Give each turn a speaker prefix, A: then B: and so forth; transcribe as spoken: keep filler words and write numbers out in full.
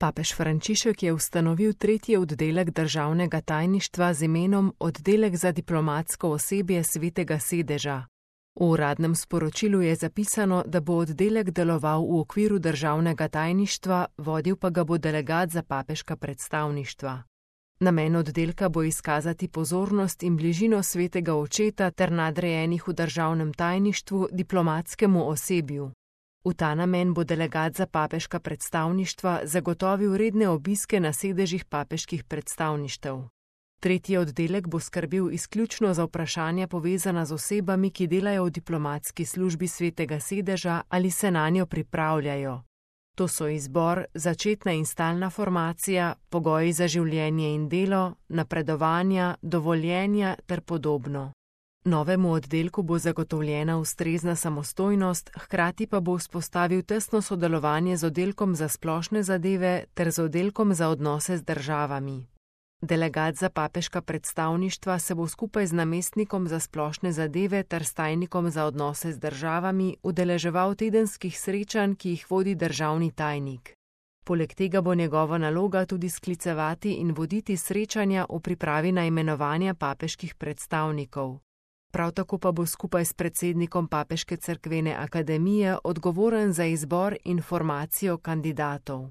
A: Papež Frančišek je ustanovil tretji oddelek državnega tajništva z imenom Oddelek za diplomatsko osebje Svetega sedeža. V uradnem sporočilu je zapisano, da bo oddelek deloval v okviru državnega tajništva, vodil pa ga bo delegat za papeška predstavništva. Namen oddelka bo izkazati pozornost in bližino svetega očeta ter nadrejenih v državnem tajništvu diplomatskemu osebju. V ta namen bo delegat za papeška predstavništva zagotovil redne obiske na sedežih papeških predstavništev. Tretji oddelek bo skrbel izključno za vprašanja povezana z osebami, ki delajo v diplomatski službi svetega sedeža ali se nanjo pripravljajo. To so izbor, začetna in stalna formacija, pogoji za življenje in delo, napredovanja, dovoljenja ter podobno. Novemu oddelku bo zagotovljena ustrezna samostojnost, hkrati pa bo vzpostavil tesno sodelovanje z oddelkom za splošne zadeve ter z oddelkom za odnose z državami. Delegat za papeška predstavništva se bo skupaj z namestnikom za splošne zadeve ter s tajnikom za odnose z državami udeleževal tedenskih srečanj, ki jih vodi državni tajnik. Poleg tega bo njegova naloga tudi sklicevati in voditi srečanja v pripravi na imenovanja papeških predstavnikov. Prav tako pa bo skupaj s predsednikom Papeške cerkvene akademije odgovoren za izbor in formacijo kandidatov.